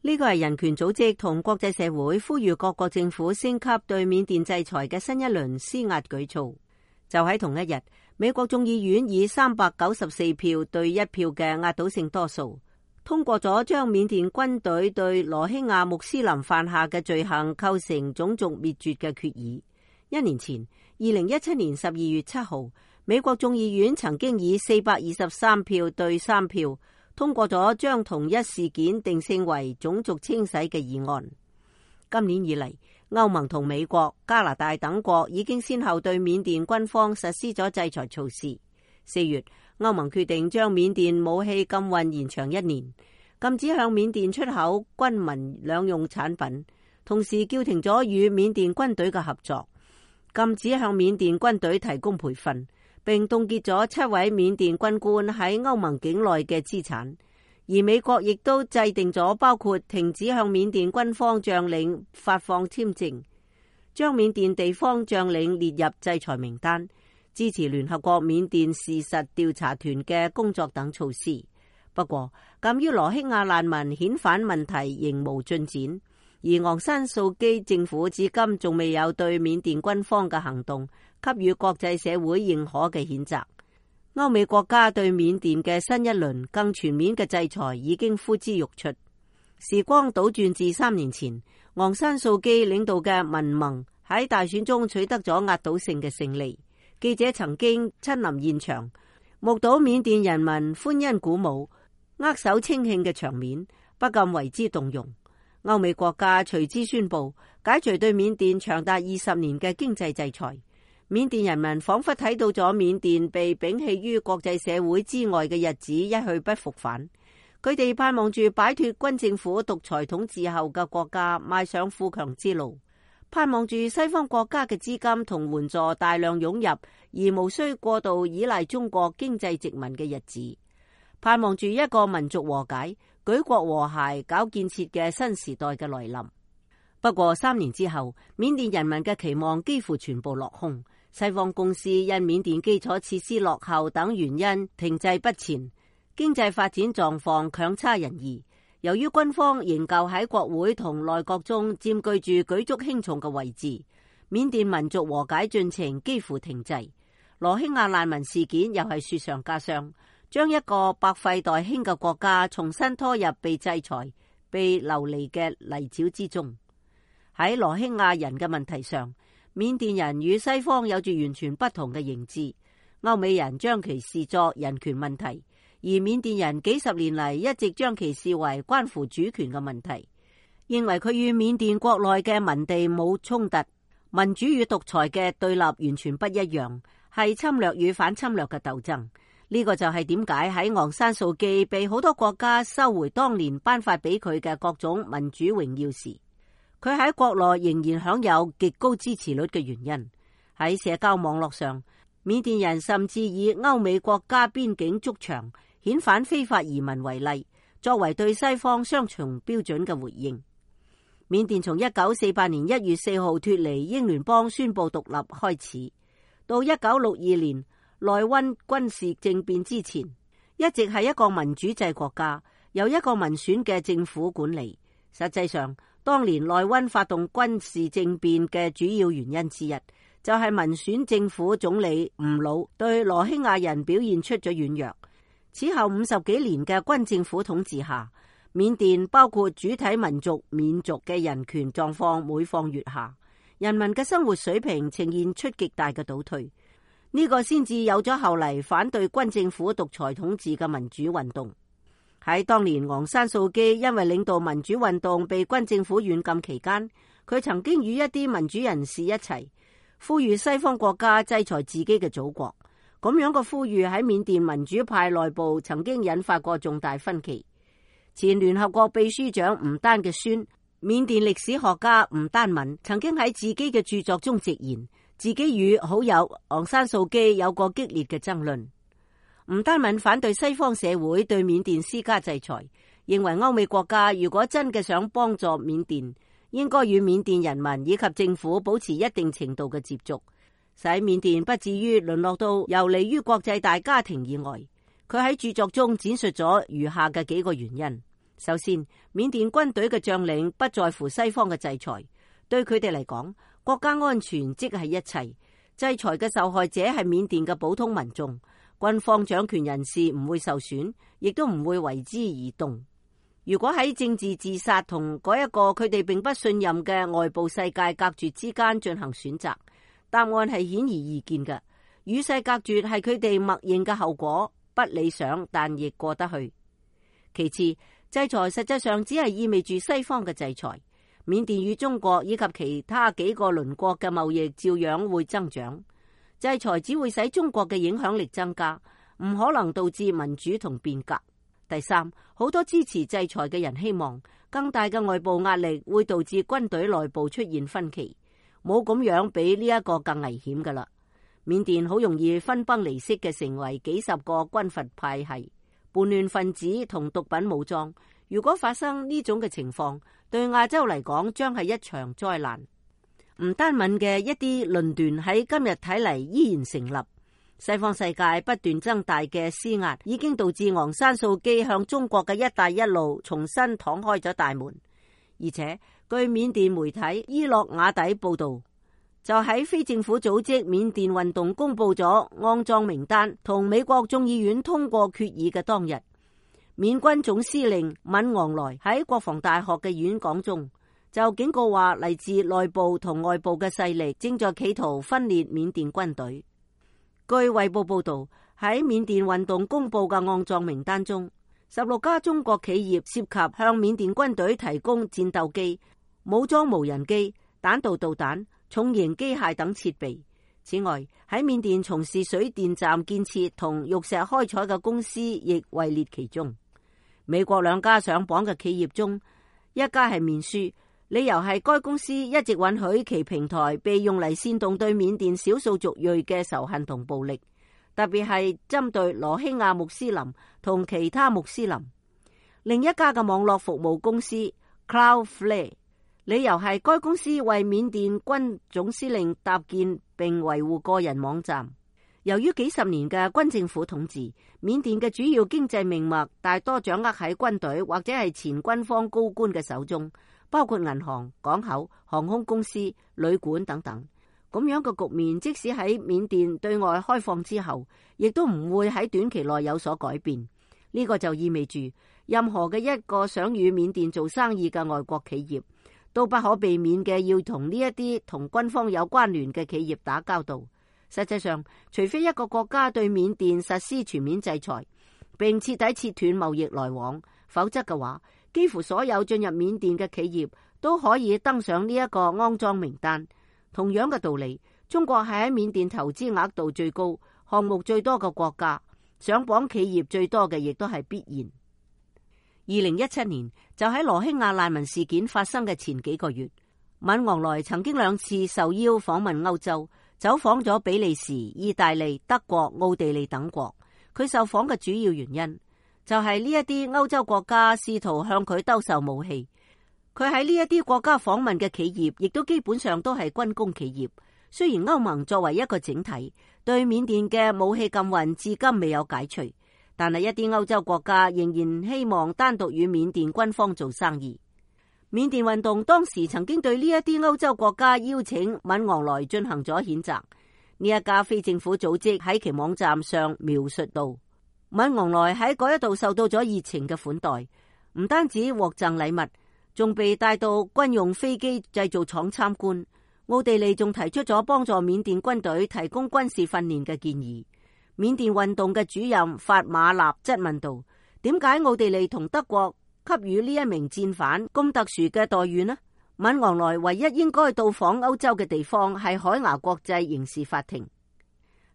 呢個係人權組織同國際社會呼籲各國政府升級對緬甸制裁嘅新一輪施壓舉措。就喺同一日，美國眾議院以394票對1票嘅壓倒性多數，通過咗將緬甸軍隊對羅興亞穆斯林犯下嘅罪行構成種族滅絕嘅決議。1年前，2017年12月7號，美國眾議院曾經以423票對3票通過咗將同一事件定性為種族清洗嘅議案。今年以嚟，歐盟同美國、加拿大等國已經先後對緬甸軍方實施咗制裁措施。4月，歐盟決定將緬甸武器禁運延長1年，禁止向緬甸出口軍民兩用產品，同時叫停咗與緬甸軍隊嘅合作，禁止向緬甸軍隊提供培訓，並凍結咗7位緬甸軍官喺歐盟境內嘅資產。而美國亦都制定咗包括停止向緬甸軍方將領發放簽證、將緬甸地方將領列入制裁名單、支持聯合國緬甸事實調查團嘅工作等措施。不過，鑒於羅興亞難民遣返問題仍無進展，而昂山素基政府至今仲未有對緬甸軍方嘅行動給予國際社會認可嘅譴責。歐美國家對緬甸嘅新一輪更全面嘅制裁已經呼之欲出。時光倒轉至3年前，昂山素基領導嘅民盟喺大選中取得咗壓倒性嘅勝利。記者曾經親臨現場，目睹緬甸人民歡欣鼓舞、握手稱慶嘅場面，不禁為之動容。歐美國家隨之宣布解除對緬甸長達20年嘅經濟制裁。緬甸人民仿佛睇到咗緬甸被摒棄於國際社會之外嘅日子一去不復返，佢哋盼望住擺脫軍政府獨裁統治後嘅國家邁上富強之路，盼望住西方國家嘅資金同援助大量湧入，而無需過度依賴中國經濟殖民嘅日子，盼望住一個民族和解、舉國和諧、搞建設嘅新時代嘅來臨。不過3年之後，緬甸人民嘅期望幾乎全部落空。西方公司因緬甸基礎設施落後等原因停滯不前，經濟發展狀況強差人意。由於軍方仍舊喺國會同內閣中佔據住舉足輕重嘅位置，緬甸民族和解進程幾乎停滯。羅興亞難民事件又係雪上加霜，將一個百廢待興嘅國家重新拖入被制裁、被流離嘅泥沼之中。喺羅興亞人嘅問題上，緬甸人與西方有住完全不同嘅認知。歐美人將其視作人權問題，而緬甸人幾十年嚟一直將其視為關乎主權嘅問題，認為佢與緬甸國內嘅民地冇衝突，民主與獨裁嘅對立完全不一樣，係侵略與反侵略嘅鬥爭。呢個就係點解喺昂山素基被好多國家收回當年頒發俾佢嘅各種民主榮耀時，佢喺國內仍然享有極高支持率嘅原因。喺社交網絡上，緬甸人甚至以歐美國家邊境築牆、遣返非法移民為例，作為對西方雙重標準嘅回應。緬甸從1948年1月4號脫離英聯邦宣布獨立開始，到1962年內溫軍事政變之前，一直係一個民主制國家，由一個民選嘅政府管理。實際上，當年內溫發動軍事政變嘅主要原因之一，就係民選政府總理吳魯對羅興亞人表現出咗軟弱。此後50幾年嘅軍政府統治下，緬甸包括主體民族、緬族嘅人權狀況每況愈下，人民嘅生活水平呈現出極大嘅倒退。呢個先至有咗後嚟反對軍政府獨裁統治嘅民主運動。喺當年昂山素基因為領導民主運動被軍政府軟禁期間，佢曾經與一啲民主人士一齊呼籲西方國家制裁自己嘅祖國。咁樣嘅呼籲喺緬甸民主派內部曾經引發過重大分歧。前聯合國秘書長吳丹嘅孫、緬甸歷史學家吳丹敏曾經喺自己嘅著作中直言，自己與好友昂山素基有過激烈嘅爭論。吳丹敏反對西方社會對緬甸施加制裁，認為歐美國家如果真嘅想幫助緬甸，應該與緬甸人民以及政府保持一定程度嘅接觸，使緬甸不至於淪落到游離於國際大家庭以外。佢喺著作中展述咗餘下嘅幾個原因。首先，緬甸軍隊嘅將領不在乎西方嘅制裁，對佢哋嚟講，國家安全即係一切。制裁嘅受害者係緬甸嘅普通民眾，軍方掌權人士唔會受損，亦都唔會為之而動。如果喺政治自殺同嗰一個佢哋並不信任嘅外部世界隔絕之間進行選擇，答案係顯而易見嘅。與世隔絕係佢哋默認嘅後果，不理想但亦過得去。其次，制裁實際上只係意味住西方嘅制裁。緬甸與中國以及其他幾個鄰國嘅貿易照樣會增長。制裁只會使中國嘅影響力增加，唔可能導致民主同變革。第三，好多支持制裁嘅人希望更大嘅外部壓力會導致軍隊內部出現分歧，冇咁樣比呢一個更危險㗎喇。緬甸好容易分崩離析嘅成為幾十個軍閥派系、叛亂分子同毒品武裝。如果發生呢種嘅情況，對亞洲嚟講將係一場災難。唔單敏嘅一啲論斷喺今日睇嚟依然成立。西方世界不斷增大嘅施壓已經導致昂山素姬向中國嘅一帶一路重新敞開咗大門。而且據緬甸媒體伊洛瓦底報道，就喺非政府組織緬甸運動公布咗骯髒名單同美國眾議院通過決議嘅當日，緬軍總司令敏昂萊喺國防大學嘅演講中就警告話，嚟自內部同外部嘅勢力正在企圖分裂緬甸軍隊。據衛報報道，喺緬甸運動公布嘅骯髒名單中，16家中國企業涉及向緬甸軍隊提供戰鬥機、武裝無人機、彈道導彈、重型機械等設備。此外，喺緬甸從事水電站建設同玉石開採嘅公司亦位列其中。美國2家上榜嘅企業中，一家係面書，理由係該公司一直允許其平台被用嚟煽動對緬甸少數族裔嘅仇恨同暴力，特別係針對羅興亞穆斯林同其他穆斯林。另一家嘅網絡服務公司 Cloudflare， 理由係該公司為緬甸軍總司令搭建並維護個人網站。由於幾十年嘅軍政府統治，緬甸嘅主要經濟命脈大多掌握喺軍隊或者係前軍方高官嘅手中，包括銀行、港口、航空公司、旅館等等。咁樣嘅局面，即使喺緬甸對外開放之後，亦都唔會喺短期內有所改變。呢個就意味住，任何嘅一個想與緬甸做生意嘅外國企業，都不可避免嘅要同呢一啲同軍方有關聯嘅企業打交道。實際上，除非一個國家對緬甸實施全面制裁，並徹底切斷貿易來往，否則嘅話，幾乎所有進入緬甸嘅企業都可以登上呢一個骯髒名單。同樣嘅道理，中國係喺緬甸投資額度最高、項目最多嘅國家，上榜企業最多嘅亦都係必然。2017年就喺羅興亞難民事件發生嘅前幾個月，敏昂萊曾經2次受邀訪問歐洲，走訪咗比利時、意大利、德國、奧地利等國。佢受訪嘅主要原因就係呢一啲歐洲國家試圖向佢兜售武器。佢喺呢一啲國家訪問嘅企業亦都基本上都係軍工企業。雖然歐盟作為一個整體對緬甸嘅武器禁運至今未有解除，但係一啲歐洲國家仍然希望單獨與緬甸軍方做生意。緬甸運動當時曾經對呢一啲歐洲國家邀請敏昂萊進行咗譴責。呢一家非政府組織喺其網站上描述到，敏昂萊喺嗰一度受到咗熱情嘅款待，唔單止獲贈禮物，仲被帶到軍用飛機製造廠參觀。奧地利仲提出咗幫助緬甸軍隊提供軍事訓練嘅建議。緬甸運動嘅主任法馬納質問道：點解奧地利同德國給予呢一名戰犯咁特殊嘅待遇呢？敏昂萊唯一應該到訪歐洲嘅地方係海牙國際刑事法庭。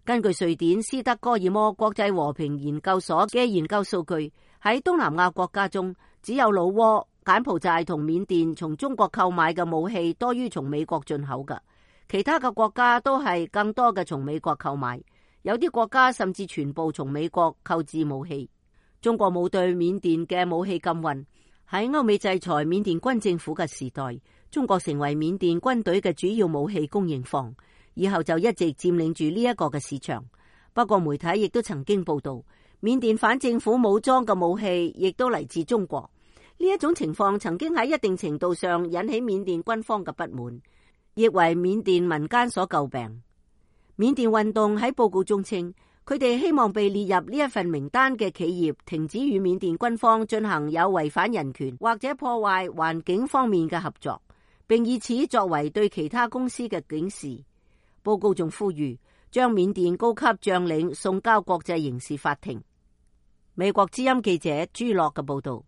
根據瑞典斯德哥爾摩國際和平研究所嘅研究數據，喺東南亞國家中，只有老撾、柬埔寨同緬甸從中國購買嘅武器多於從美國進口嘅，其他嘅國家都係更多嘅從美國購買，有啲國家甚至全部從美國購置武器。中國冇對緬甸嘅武器禁運。喺歐美制裁緬甸軍政府嘅時代，中國成為緬甸軍隊嘅主要武器供應方，以後就一直佔領住呢一個嘅市場。不過媒體亦都曾經報道，緬甸反政府武裝嘅武器亦都嚟自中國。呢一種情況曾經喺一定程度上引起緬甸軍方嘅不滿，亦為緬甸民間所詬病。緬甸運動喺報告中稱，佢哋希望被列入呢一份名單嘅企業停止與緬甸軍方進行有違反人權或者破壞環境方面嘅合作，並以此作為對其他公司嘅警示。報告仲呼籲將緬甸高級將領送交國際刑事法庭。美國之音記者朱樂嘅報道。